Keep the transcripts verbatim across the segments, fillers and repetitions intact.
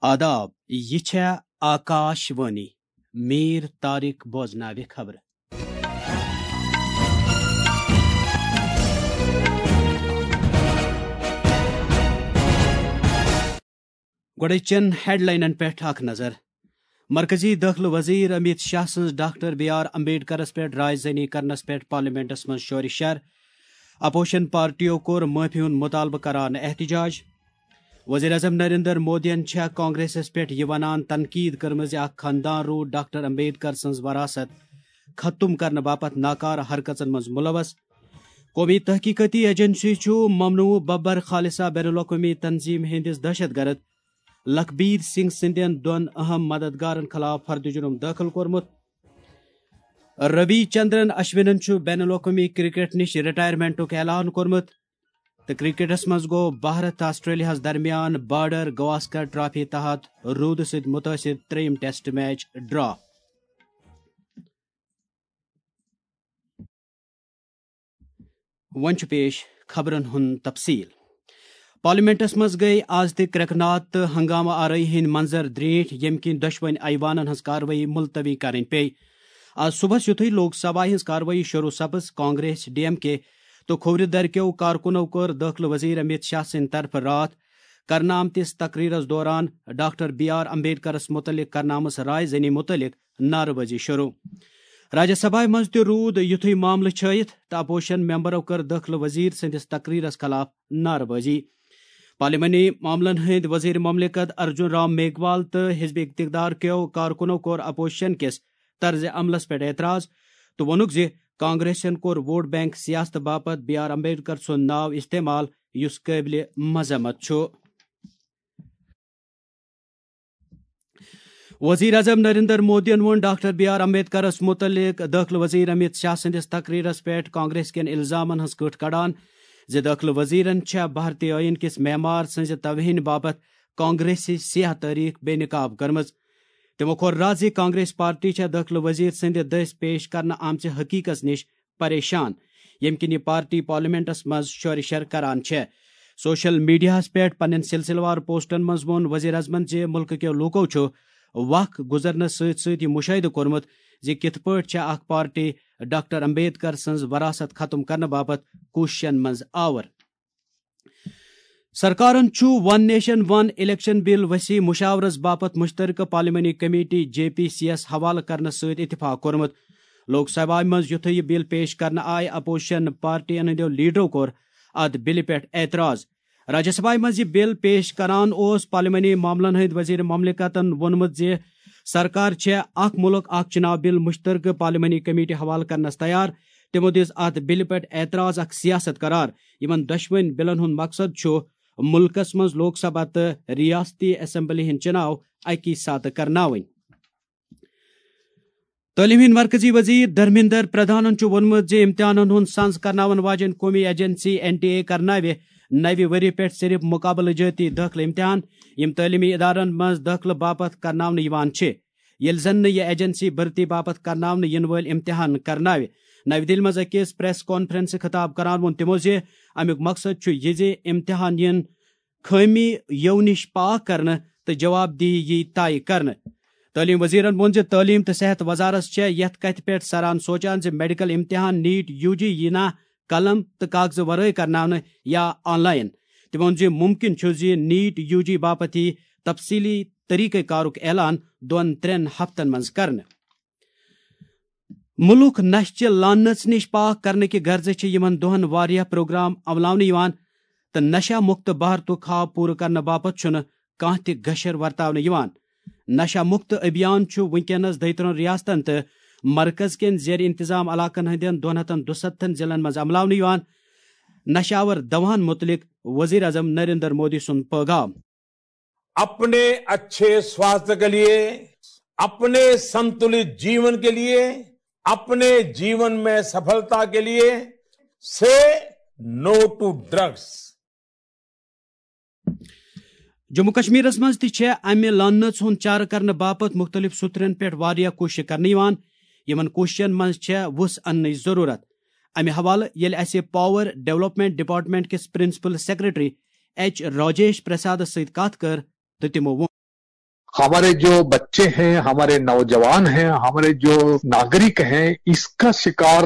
آداب، یہِ چھےٚ آکاش وانی۔ میٖر طارق بوزناوِ خبرٕ۔ گۄڈٕچن ہیڈلاینن پٮ۪ٹھ اکھ نظر۔ مرکزی دٲخلہٕ وزیر امیت شاہ سٕنٛز ڈاکٹر بی آر امبیڈکرس پٮ۪ٹھ رائے زنی کرنس پٮ۪ٹھ پارلیمنٹس منٛز شورِ شر۔ اپوزیشن پارٹیو کوٚر معٲفی ہُنٛد مطالبہٕ کران احتجاج۔ وزیر اعظم نریندر مودیَن چھےٚ کانگریسس پٮ۪ٹھ یہِ ونان تنقید کٔرمٕژ زِ اکھ خاندان روٗد ڈاکٹر امبیڈکر سٕنٛز وراثت ختم کرنہٕ باپتھ ناکارٕ حرکژن منٛز ملوث۔ قومی تحقیقاتی ایجنسی چھُ ممنوع ببر خالصہ بین الاقوٲمی تنظیم ہٕنٛدِس دہشت گرد لکھبیر سنگھ سٕنٛدٮ۪ن دۄن اہم مددگارن خلاف فرد جرم دٲخل کوٚرمُت۔ روی چندرن اشونن چھُ بین الاقوٲمی کرکٹ نِش رٹائرمنٹُک اعلان کوٚرمُت۔ تہٕ کرکٹس منٛز گوٚو بھارت تہٕ آسٹریلیاہس درمیان بارڈر گواسکر ٹرافی تحت روٗدٕ سۭتۍ مُتٲثِر ترٛیٚیِم ٹیسٹ میچ ڈرا۔ وۄنۍ چھُ پیش خبرن ہُنٛد تفصیل۔ پارلیمنٹس منٛز گٔے آز تہِ کرٛٮ۪کہٕ ناد تہٕ ہنگامہٕ آرٲیی ہٕنٛدۍ منظر درینٹھ، ییٚمہِ کِنۍ دۄشوٕنۍ ایوانن ہٕنٛز کاروٲیی ملتوی کرٕنۍ پیٚیہِ۔ آز صبحس یُتھُے لوک سبھا ہٕنٛز کاروٲیی شروع سپٕز، کانگریس، ڈی ایم کے تہٕ کھوورِ درِ کیو کارکُنو کٔر دٲخلہٕ وزیر امیت شاہ سٕنٛدِ طرفہٕ راتھ کرنہٕ آمتِس تقریرس دوران ڈاکٹر بی آر امبیڈکرس متعلق کرنہٕ آمٕژ رائے زنی متعلق نعرٕ بازی شروع۔ راجیہ سبھایہ منٛز تہِ روٗد یُتھُے معاملہٕ چھٲیِتھ تہٕ اپوزیشن ممبرو کٔر دٲخلہٕ وزیر سٕنٛدِس تقریرس خلاف نعرٕ بازی۔ پارلیمانی معاملن ہٕنٛدۍ وزیر مملکت ارجن رام میگھوال تہٕ حزب اقتدار کیو کارکُنو کوٚر اپوزیشن کِس طرز عملس پٮ۪ٹھ اعتراض تہٕ ووٚنُکھ زِ کانگریسن کوٚر ووٹ بینک سیاست باپتھ بی آر امبیڈکر سُنٛد ناو استعمال، یُس قٲبلِ مذمت چھُ۔ وزیر اعظم نریندر مودیَن ووٚن ڈاکٹر بی آر امبیڈکرس متعلق دٲخلہٕ وزیر امیت شاہ سٕنٛدِس تقریرس پٮ۪ٹھ کانگریس کٮ۪ن الزامن ہٕنٛز کٔٹھ کڑان زِ دٲخلہٕ وزیرن چھےٚ بھارتی ٲییٖن کِس معمار سٕنٛزِ توہین باپتھ کانگریسی سیاہ تٲریخ بے نقاب کٔرمٕژ۔ تِمو کوٚر رد زِ کانگریس پارٹی چھےٚ دٲخلہٕ وزیر سٕنٛدِ دٔسۍ پیش کرنہٕ آمژِ حقیقس نِش پریشان، ییٚمہِ کِنۍ یہِ پارٹی پارلیمنٹس منٛز شورِ شر کران چھےٚ۔ سوشل میڈیاہَس پٮ۪ٹھ پننٮ۪ن سلسلہٕ وار پوسٹن منٛز ووٚن وزیر اعظمن زِ مُلکہٕ کٮ۪و لوٗکو چھُ وق گُزرنس سۭتۍ سۭتۍ یہِ مُشاہدٕ کوٚرمُت زِ کِتھ پٲٹھۍ چھےٚ اکھ پارٹی ڈاکٹر امبیڈکر سٕنٛز وراثت ختم کرنہٕ باپتھ کوٗششن منٛز آور۔ سرکارن چھُ ون نیشن ون الیکشن بل وسیع مشاورس باپتھ مشترکہ پارلیمانی کمیٹی جے پی سی یس حوالہٕ کرنس سۭتۍ اتفاق کوٚرمُت۔ لوک سبھایہ منٛز یُتھُے یہِ بل پیش کرنہٕ آیہِ، اپوزیشن پارٹین ہٕنٛدیو لیڈرو کوٚر اتھ بلہِ پٮ۪ٹھ اعتراض۔ راجیہ سبھایہ منٛز یہِ بل پیش کران اوس پارلیمانی معاملن ہٕنٛدۍ وزیر مملکتن ووٚنمُت زِ سرکار چھےٚ اکھ مُلک اکھ چُناو بل مشترکہٕ پارلیمانی کمیٹی حوالہٕ کرنس تیار۔ تِمو دِژ اتھ بلہِ پٮ۪ٹھ اعتراض اکھ سیاست قرار، یِمن دۄشوٕنۍ بلن ہُنٛد مقصد چھُ مُلکس منٛز لوک سبھا تہٕ ریاستی اسمبلی ہٕنٛدۍ چُناو اکی ساتہٕ کرناوٕنۍ۔ تعلیٖم ہٕنٛدۍ مرکزی وزیر دھرمیندر پردھانن چھُ ووٚنمُت زِ امتحانن ہُنٛد سنز کرناون واجٮ۪ن قومی ایجنسی این ٹی اے کرناوِ نوِ ؤری پٮ۪ٹھ صرف مقابلہٕ جٲتی دٲخلہٕ امتحان، یِم تعلیمی ادارن منٛز دٲخلہٕ باپتھ کرناونہٕ یِوان چھِ، ییٚلہِ زن نہٕ یہِ ایجنسی بھرتی باپتھ کرناونہٕ یِنہٕ وٲلۍ امتحان کرناوِ۔ نوِ دِلہِ منٛز أکِس پریس کانفرنسہِ خطاب کران ووٚن تِمو زِ امیُک مقصد چھُ یہِ زِ امتحان یِن خٲمی یو نِش پاک کرنہٕ تہٕ جواب دہی یی طے کرنہٕ۔ تعلیٖم وزیرن ووٚن زِ تعلیٖم تہٕ صحت وزارت چھےٚ یَتھ کَتھِ پٮ۪ٹھ سران سونچان زِ میڈیکل امتحان نیٹ یو جی یی نا قلم تہٕ کاغذٕ ورٲے کرناونہٕ یا آن لائن۔ تٔمۍ ووٚن زِ ممکن چھُ زِ نیٹ یو جی باپتھ یی تفصیلی طریقہ کارُک اعلان دۄن ترٛٮ۪ن ہفتن منٛز کرنہٕ۔ مُلک نشہٕ چہِ لعنژ نِش پاک کرنہٕ کہِ غرضہٕ چھِ یِمن دۄہن واریاہ پروگرام عملاونہٕ یِوان تہٕ نشہ مُکت بھارتُک خواب پوٗرٕ کرنہٕ باپتھ چھُنہٕ کانٛہہ تہِ گشر ورتاونہٕ یِوان۔ نشہ مُکت ابھیان چھُ وُنکیٚنس دۄیہِ ترٛہن ریاستن تہٕ مرکز کٮ۪ن زیر انتظام علاقن ہٕنٛدٮ۪ن دۄن ہتن دُستتھن ضلعن منٛز عملاونہٕ یِوان۔ نشہ آور دواہن مُتعلق وزیر اعظم نریندر مودی سُنٛد پٲغام۔ अपने अच्छे स्वास्थ्य के लिए, अपने संतुलित जीवन के लिए, अपने जीवन में सफलता के लिए, से नो टू ड्रग्स। جموں کشمیرس منٛز تہِ چھےٚ امہِ لعنژ ہُنٛد چارٕ کرنہٕ باپتھ مُختٔلِف سُترن پٮ۪ٹھ واریاہ کوٗششہٕ کرنہٕ یِوان۔ یِمن کوٗششن منٛز چھےٚ وُژھ اننٕچ ضروٗرت۔ امہِ حوالہٕ ییٚلہِ اسہِ پاور ڈیولپمنٹ ڈپارٹمنٹ کِس پرنسپل سیکرٹری ایچ راجیش پرسادس سۭتۍ کتھ کٔر تہٕ تِمو ووٚن۔ हमारे जो बच्चे हैं, हमारे नौजवान हैं, हमारे जो नागरिक हैं, इसका शिकार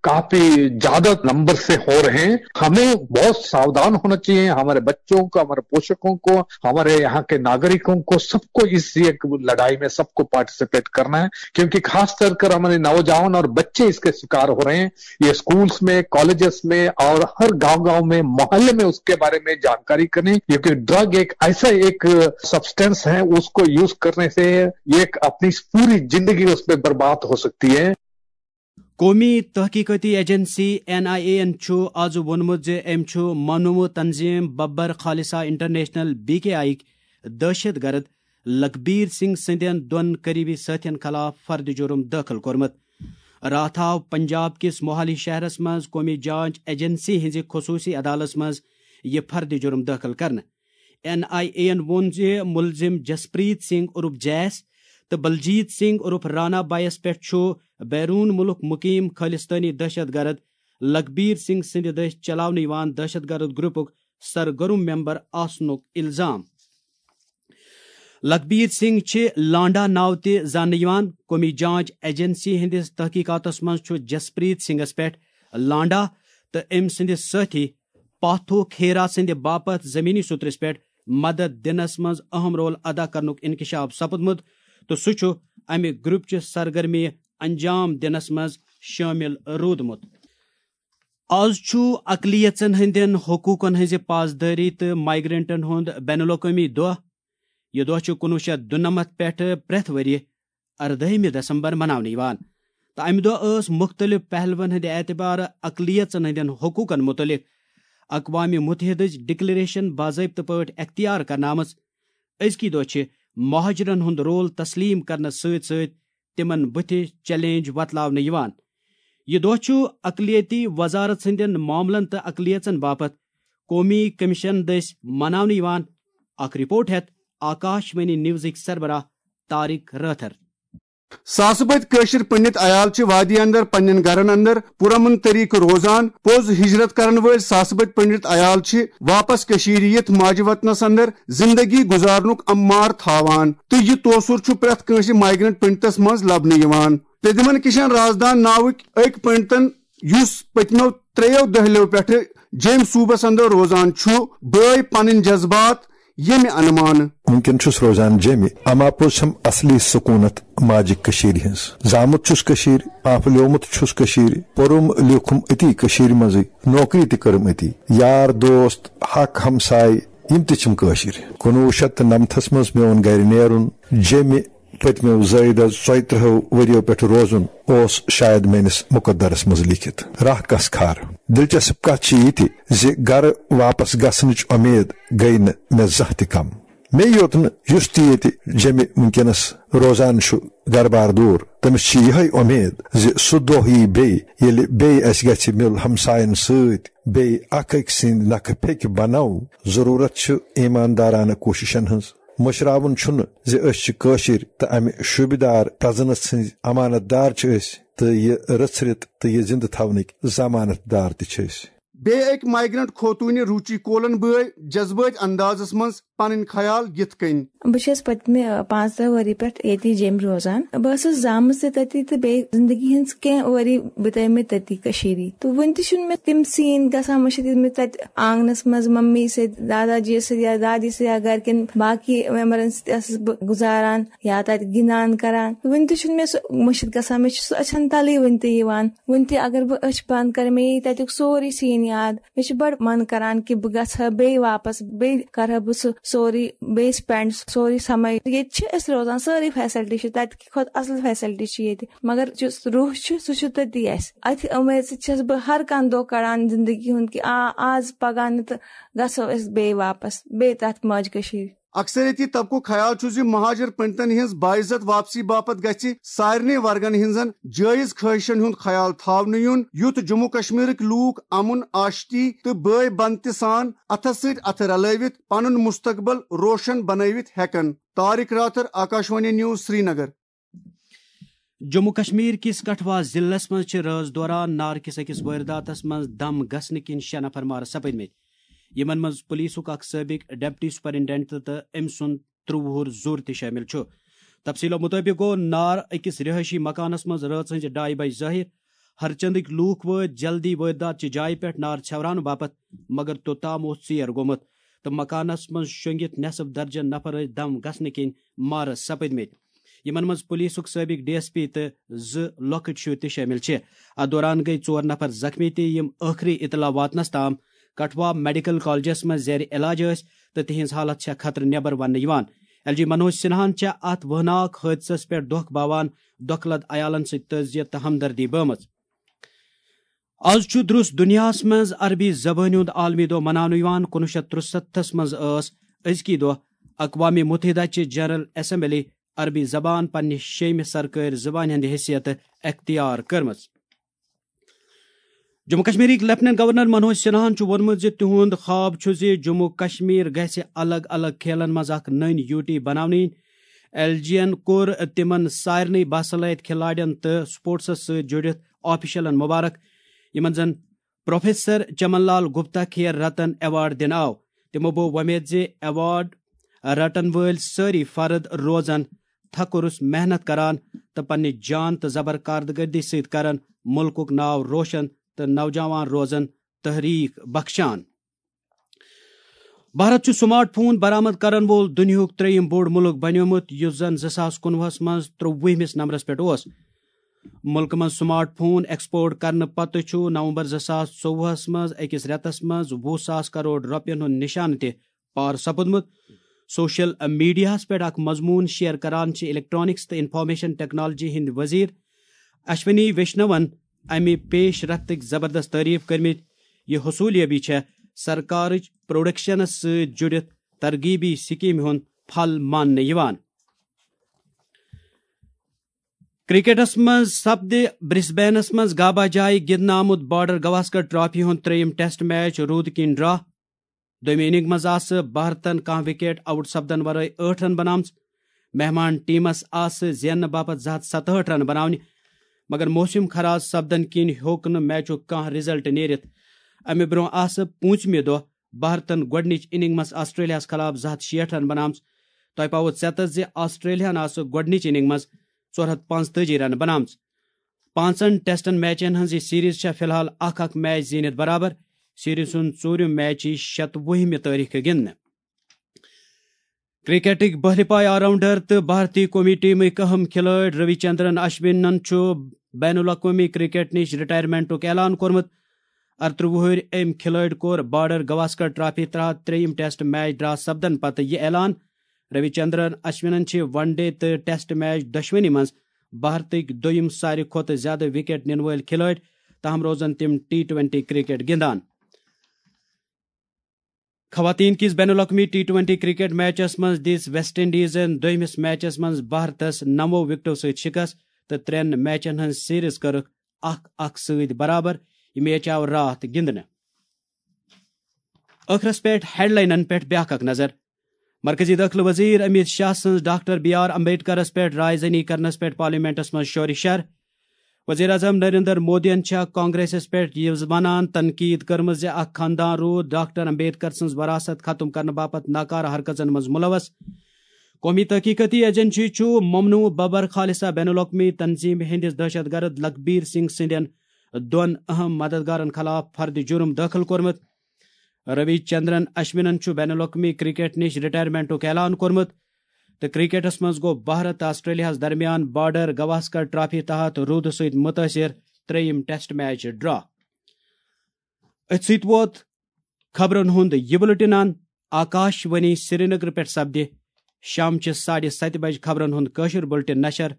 काफी ज्यादा नंबर से हो रहे हैं। हमें बहुत सावधान होना चाहिए, हमारे बच्चों को, हमारे पोषकों को, हमारे यहाँ के नागरिकों को, सबको इस ये लड़ाई में सबको पार्टिसिपेट करना है, क्योंकि खास कर कर हमारे नौजवान और बच्चे इसके शिकार हो रहे हैं। ये स्कूल्स में, कॉलेजेस में और हर गांव गांव में, मोहल्ले में उसके बारे में जानकारी करें, क्योंकि ड्रग एक ऐसा एक सब्सटेंस है, उसको यूज़ करने से ये एक अपनी पूरी जिंदगी उस पर बर्बाद हो सकती है। قومی تحقیقاتی ایجنسی این آئی اے یَن چھُ آز ووٚنمُت زِ أمۍ چھُ منومُت تنظیٖم Babbar Khalsa international, B K I یِکۍ دہشت گرد لکبیر سنگھ سٕنٛدٮ۪ن دۄن قریبی سٲتھٮ۪ن خلاف فرد جرم دٲخل کوٚرمُت۔ راتھ آو پنجاب کِس موہالی شہرس منٛز قومی جانچ ایجنسی ہٕنٛزِ خصوٗصی عدالتس منٛز یہِ فرد جرم دٲخل کرنہٕ۔ این آئی اے یَن ووٚن زِ مُلزِم جسپریت سنگھ عرف جیس تہٕ بلجیت سنگھ عرف رانا بایس پٮ۪ٹھ چھُ بیروٗن مُلک مُقیٖم خٲلِستٲنی دہشت گرد لکبیر سنگھ سٕنٛدِ دٔسۍ چلاونہٕ یِوان دہشت گرد گروپُک سرگرم ممبر آسنُک الزام۔ لکبیر سنگھ چھِ لانڈا ناوٕ تہِ زاننہٕ یِوان۔ قومی جانچ ایجنسی ہٕنٛدِس تحقیقاتس منٛز چھُ جسپریت سنگھس پٮ۪ٹھ لانڈا تہٕ أمۍ سٕنٛدِس سٲتھی پاتھو کھیرا سٕنٛدِ باپتھ زمینی سوٚترِس پٮ۪ٹھ مدد دِنس منٛز اہم رول ادا کرنُک انکشاف سپُدمُت تہٕ سُہ چھُ امہِ گروپچہِ سرگرمی انجام دِنس منٛز شٲمِل روٗدمُت۔ آز چھُ اقلیژن ہٕنٛدٮ۪ن حقوٗقن ہٕنٛزِ پاسدٲری تہٕ مایگرنٹن ہُنٛد بین الاقوٲمی دۄہ۔ یہِ دۄہ چھُ کُنوُہ شیٚتھ دُنَمَتھ پٮ۪ٹھٕ پرٛٮ۪تھ ؤرۍ یہِ اَردٲہمہِ دسمبر مناونہٕ یِوان تہٕ امہِ دۄہ ٲس مُختٔلِف پہلوَن ہٕنٛدِ اعتبارٕ اقلیژن ہٕنٛدٮ۪ن حقوٗقن مُتعلق اقوام مُتحدٕچ ڈکلیریشن باضٲبطہٕ پٲٹھۍ اختیار کرنہٕ آمٕژ۔ أزکی دۄہ چھِ مہاجرن ہُنٛد رول تسلیٖم کرنس سۭتۍ سۭتۍ تِمن بُتھِ چیلنج وۄتلاونہٕ یِوان۔ یہِ دۄہ چھُ اقلیتی وزارت سٕنٛدٮ۪ن معاملن تہٕ اقلیژن باپتھ قومی کمیشن دٔسۍ مناونہٕ یِوان۔ اکھ رپورٹ ہٮ۪تھ آکاش وانی نیوزٕکۍ سربراہ طارق رٲتھر۔ ساسہٕ بٔدۍ کٲشِر پنڈت عیال چھِ وادی اندر پننٮ۪ن گرن اندر پُرامن طریقہٕ روزان۔ پوٚز ہجرت کرن وٲلۍ ساسہٕ بٔدۍ پنڈت عیال چھِ واپس کٔشیٖرِ یِتھ ماجہِ وطنس اندر زندگی گُزارنُک اَمار تھاوان تہٕ یہِ توسُر چھُ پرٛٮ۪تھ کٲنٛسہِ مایگرنٹ پنڈتس منٛز لبنہٕ یِوان۔ پرٛدیومن کشن رازدان ناوٕکۍ أکۍ پنڈتن، یُس پٔتمیو ترٛیٚیو دٔہلیو پٮ۪ٹھٕ جیٚمۍ صوٗبس اندر روزان چھُ، بٲے پنٕنۍ جذبات ییٚمہِ انمانہٕ۔ وٕنکٮ۪ن چھُس روزان جیٚمہِ، اما پوٚز چھم اصلی سکوٗنت ماجہِ کٔشیٖرِ ہٕنٛز۔ زامُت چھُس کٔشیٖرِ، پانپھلیومُت چھُس کٔشیٖرِ، پوٚرُم لیوٗکھُم أتی کٔشیٖرِ منٛزٕے، نوکری تہِ کٔرٕم أتی۔ یار دوست، حق ہمساے، یِم تہِ چھِم کٲشِرۍ۔ کُنوُہ شیٚتھ تہٕ نَمتھَس منٛز میون گرِ نیرُن، جیٚمہِ پٔتمیو زٲیدٕ ژۄیہِ ترٕٛہو ؤرِیو پٮ۪ٹھ روزُن اوس شاید میٲنِس مُقدرس منٛز لیٖکھِتھ۔ راہ کس کھار۔ دلچسپ کتھ چھِ یہِ تہِ زِ گرٕ واپس گژھنٕچ اُمید گٔیہِ نہٕ مےٚ زانٛہہ تہِ کم۔ مےٚ یوت نہٕ، یُس تہِ ییٚتہِ جیٚمہِ وٕنکیٚنس روزان چھُ گرٕ بار دوٗر، تٔمِس چھِ یِہے اُمید زِ سُہ دۄہ یِیہِ بیٚیہِ، ییٚلہِ بیٚیہِ اسہِ گژھِ مِل ہمساین سۭتۍ بیٚیہِ اکھ أکۍ سٕنٛدۍ نکھٕ پھیٚکہِ بنو۔ ضروٗرت چھِ ایماندارانہٕ کوٗششن ہٕنٛز۔ مٔشراوُن چھُنہٕ زِ أسۍ چھِ کٲشِرۍ تہٕ امہِ شوٗبہِ دار پرزنس ہٕنٛدۍ امانت دار چھِ أسۍ، تہٕ یہِ رٔژھرِتھ تہٕ یہِ زِندٕ تھاونٕکۍ ضمانت دار تہِ چھِ أسۍ۔ بیٚیہِ أکۍ مایگرنٹ خوتوٗنہِ روٗچی کولن بٲے جذبٲتۍ اندازس منٛز پنٕنۍ خیال یِتھ کٔنۍ۔ بہٕ چھَس پٔتمہِ، آ، پانٛژترٕٛہ ؤری پٮ۪ٹھ ییٚتی جیٚمۍ روزان۔ بہٕ ٲسٕس زامٕژ تہِ تٔتی تہٕ بیٚیہِ زندگی ہٕنٛز کینٛہہ ؤری بِتٲومٕتۍ تٔتی کٔشیٖرِ۔ تہٕ وُنہِ تہِ چھُنہٕ مےٚ تِم سیٖن گژھان مٔشِتھ، یِم مےٚ تَتہِ آنٛگنَس منٛز مٔمی سۭتۍ، دادا جی سۭتۍ یا دادی سۭتۍ یا گَرِکٮ۪ن باقٕے مٮ۪مبرَن سۭتۍ ٲسٕس بہٕ گُزاران یا تَتہِ گِنٛدان کَران۔ وُنہِ تہِ چھُنہٕ مےٚ سُہ مٔشِتھ گژھان، مےٚ چھُ سُہ أچھَن تَلٕے وُنہِ تہِ یِوان۔ وُنہِ تہِ اگر بہٕ أچھ بنٛد کَرٕ، مےٚ یی تَتیُک سورُے سیٖن یاد۔ مےٚ چھُ بَڑٕ من کَران کہِ بہٕ گژھٕ ہا بیٚیہِ واپَس، بیٚیہِ کَرٕ ہا بہٕ سُہ سورُے بیٚیہِ spend، سورُے سَمَے۔ ییٚتہِ چھِ أسۍ روزان، سٲرٕے facility چھِ، تَتہِ کھۄتہٕ اَصٕل facility چھِ ییٚتہِ، مگر یُس روح چھُ، سُہ چھُ تٔتی اَسہِ۔ اَتھِ اُمید سۭتۍ چھَس بہٕ ہر کانٛہہ دۄہ کَڑان زِندگی ہُنٛد کہِ آ، آز پَگاہ نہٕ تہٕ گژھو أسۍ بیٚیہِ واپَس، بیٚیہِ تَتھ ماجہِ کٔشیٖرِ۔ اکثریتی طبقُک خیال چھُ زِ مہاجر پنڈتن ہٕنٛز باعزت واپسی باپتھ گژھِ سارنٕے ورگن ہٕنٛزن جٲیز خٲہشن ہُنٛد خیال تھاونہٕ یُن، یُتھ جموں کشمیرٕکۍ لوٗکھ امن، آشتی تہٕ بٲے بنتہِ سان اتھس سۭتۍ اتھٕ رلٲوِتھ پنُن مستقبل روشن بنٲوِتھ ہٮ۪کن۔ طارق راتھر، آکاشوانی نیوز، سرینگر۔ جموں کشمیر کِس کٹھوا ضلعس منٛز چھِ رٲژ دوران نارٕ کِس أکِس وٲرداتس منٛز دم گژھنہٕ کِنۍ شےٚ نفر مارٕ سپٕدمٕتۍ، یِمن منٛز پولیسُک اکھ سٲبق ڈپٹی سپرنٹنڈنٹ تہٕ أمۍ سُنٛد ترٛوُہ وُہُر زُر تہِ شٲمِل چھُ۔ تفصیلو مُطٲبِق گوٚو نار أکِس رِہٲیشی مکانَس منٛز رٲژ ہٕنٛزِ ڈایہِ بجہِ ظٲہِر۔ ہرچندٕکۍ لوٗکھ وٲتۍ جلدی وٲرۍدات چہِ جایہِ پٮ۪ٹھ نار ژھٮ۪وراونہٕ باپتھ، مگر توٚتام اوس ژیر گوٚمُت تہٕ مکانَس منٛز شۄنٛگِتھ نٮ۪صٕف درجن نفر ٲسۍ دم گژھنہٕ کِنۍ مارس سپٕدمٕتۍ، یِمن منٛز پولیسُک سٲبق ڈی ایس پی تہٕ زٕ لۄکٕٹۍ شُرۍ تہِ شٲمِل چھِ۔ اتھ دوران گٔیہِ ژور نفر زخمی تہِ، یِم ٲخری اطلاع واتنس تام کٹھوا میڈیکل کالجس منٛز زیر علاج ٲسۍ تہٕ تِہنٛز حالت چھےٚ خطرٕ نٮ۪بر وننہٕ یِوان۔ ایل جی منوج سنہاہن چھےٚ اتھ وٲناک حٲدثس پٮ۪ٹھ دۄکھ باوان دۄکھٕ لد عیالن سۭتۍ تعزیت تہٕ ہمدردی بٲومٕژ۔ از چھُ درُس دُنیاہس منٛز عربی زبٲنۍ ہُنٛد عالمی دۄہ مناونہٕ یِوان۔ کُنوُہ شیٚتھ ترٛسَتتھس منٛز ٲس أزکی دۄہ اقوام متحدہ چہِ جنرل اسمبلی عربی زبان پننہِ شیٚیمہِ سرکٲرۍ زبانہِ ہٕنٛدِ حیثیتہٕ اختیار کٔرمٕژ۔ جموں کشمیرٕکۍ لیفٹیننٹ گورنر منوج سنہاہن چھُ ووٚنمُت زِ تِہُنٛد خواب چھُ زِ جموں کشمیر گژھِ الگ الگ کھیلن منٛز اکھ نٔنۍ یوٗٹی بناونہٕ یِنۍ۔ ایل جی ین کوٚر تِمن سارنٕے باصلٲحیت کھلاڑٮ۪ن تہٕ سپورٹسس سۭتۍ جُڑِتھ آفیشلن مبارک، یِمن زن پروفیسر چمن لال گپتا کھیل رتن ایوارڈ دِنہٕ آو۔ تِمو بوو وۄمید زِ ایوارڈ رٹن وٲلۍ سٲری فرد روزن تھکُرُس محنت کران تہٕ پننہِ جان تہٕ زبر کارکردگی سۭتۍ کرن مُلکُک ناو روشن تہٕ نوجوان روزن تحریک بخشان۔ بھارت چھُ سمارٹ فون برآمد کرن وول دُنیاہُک ترٛیٚیِم بوٚڑ مُلک بنیومُت، یُس زن زٕ ساس کُنوُہس منٛز ترٛووُہمِس نمبرس پٮ۪ٹھ اوس۔ مُلکہٕ منٛز سمارٹ فون ایکسپورٹ کرنہٕ پتہٕ چھُ نومبر زٕ ساس ژوٚوُہس منٛز أکِس رٮ۪تس منٛز وُہ ساس کرور رۄپین ہُنٛد نشانہٕ تہِ پار سپُدمُت۔ سوشل میڈیاہَس پٮ۪ٹھ اکھ مضموٗن شیئر کران چھِ الیکٹرانکس تہٕ انفارمیشن ٹیکنالوجی ہٕنٛدۍ وزیر اشونی ویشنون امہِ پیش رفتٕکۍ زبردست تعریف کٔرمٕتۍ۔ یہِ حصولیابی چھےٚ سرکارٕچ پروڈکشنس سۭتۍ جُڑِتھ ترغیبی سکیمہِ ہُنٛد پھل ماننہٕ یِوان۔ کرکٹس منٛز سپدِ برسبینس منٛز گابا جایہِ گِنٛدنہٕ آمُت بارڈر گواسکر ٹرافی ہُنٛد ترٛیٚیِم ٹیسٹ میچ روٗدٕ کِنۍ ڈرا۔ دوٚیمہِ اننگ منٛز آسہٕ بھارتن کانٛہہ وکیٹ آؤٹ سپدن ورٲے ٲٹھ رن بناومژٕ۔ مہمان ٹیمس آسہٕ زیننہٕ باپتھ زٕ ہتھ ستہٕ ہٲٹھ رن بناونہِ، مگر موسم خراب سپدن کِنۍ ہیوٚک نہٕ میچُک کانٛہہ رزلٹ نیرِتھ۔ امہِ برونٛہہ آسہٕ پوٗنٛژمہِ دۄہ بھارتن گۄڈٕنِچ اننگ منٛز آسٹریلیاہس خلاف زٕ ہتھ شیٹھ رن بناومژٕ۔ تۄہہِ پاوو ژٮ۪تس زِ آسٹریلیاہن آسہٕ گۄڈٕنِچ اننگ منٛز ژور ہتھ پانٛژتٲجی رن بناومژٕ۔ پانٛژن ٹیسٹن میچن ہٕنٛز یہِ سیریز چھےٚ فی الحال اکھ اکھ میچ زیٖنِتھ برابر۔ سیریز ہُنٛد ژوٗرِم میچ یی شتوُہمہِ تٲریخہٕ گِنٛدنہٕ۔ کرکٹٕکۍ بہرِ پاے آل راؤنڈر تہٕ بھارتی قومی ٹیمٕکۍ اہم کھلٲڑۍ روی چندرن اشونن چھُ بین الاقوٲمی کرکٹ نِش رٹائرمنٹُک اعلان کوٚرمُت۔ ارترٛہ وُہٕرۍ أمۍ کھلٲڑۍ کوٚر بارڈر گواسکر ٹرافی تحت ترٛیٚیِم ٹیسٹ میچ ڈرا سپدن پتہٕ یہِ اعلان۔ روی چندرن اشونن چھِ ون ڈے تہٕ ٹیسٹ میچ دۄشوٕنی منٛز بھارتٕکۍ دوٚیِم ساروی کھۄتہٕ زیادٕ وکٹ نِنہٕ وٲلۍ کھلٲڑۍ، تاہم روزن تِم ٹی ٹوینٹی کرکٹ گِنٛدان۔ خواتین کِس بین الاقوٲمی ٹی ٹوینٹی کرکٹ میچس منٛز دِژ ویسٹ انڈیزن دوٚیمِس میچس منٛز بھارتس نَوو وکٹو سۭتۍ شکست تہٕ ترٛٮ۪ن میچن ہٕنٛز سیریز کٔرٕکھ اکھ اکھ سۭتۍ برابر۔ یہِ میچ آو راتھ گِنٛدنہٕ۔ ٲخرس پٮ۪ٹھ ہیڈلاینن پٮ۪ٹھ بیاکھ اکھ نظر۔ مرکزی دٲخلہٕ وزیر امیت شاہ سٕنٛز ڈاکٹر بی آر امبیڈکرس پٮ۪ٹھ رائے زنی کرنس پٮ۪ٹھ پارلیمنٹس منٛز شورِ شر۔ وزیر اعظم نریندر مودیَن چھےٚ کانگریسس پٮ۪ٹھ یہِ ونان تنقید کٔرمٕژ زِ اکھ خاندان روٗد ڈاکٹر امبیڈکر سٕنٛز وراثت ختم کرنہٕ باپتھ ناکارٕ حرکژن منٛز ملوث۔ قومی تحقیقاتی ایجنسی چھُ ممنوع ببر خالصہ بین الاقوٲمی تنظیمہِ ہٕنٛدِس دہشت گرد لکبیر سنگھ سٕنٛدٮ۪ن دۄن اہم مددگارن خلاف فرد جرم دٲخل کوٚرمُت۔ روی چندرن اشونن چھُ بین الاقوٲمی کرکٹ نِش رٹائرمنٹُک اعلان کوٚرمُت تہٕ کرکٹس منٛز گوٚو بھارت تہٕ آسٹریلیاہس درمیان بارڈر گواسکر ٹرافی تحت روٗدٕ سۭتۍ متٲثر ترٛیٚیِم ٹیسٹ میچ ڈرا۔ أتھۍ سۭتۍ ووت خبرن ہُنٛد یہِ بُلٹن ان۔ آکاش وانی سرینگر پٮ۪ٹھ سپدِ شامچہِ ساڑِ ستہِ بجہِ خبرن ہُنٛد کٲشُر بُلٹن نشر۔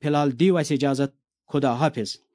فی الحال دِیِو اَسہِ اجازت۔ خدا حافظ۔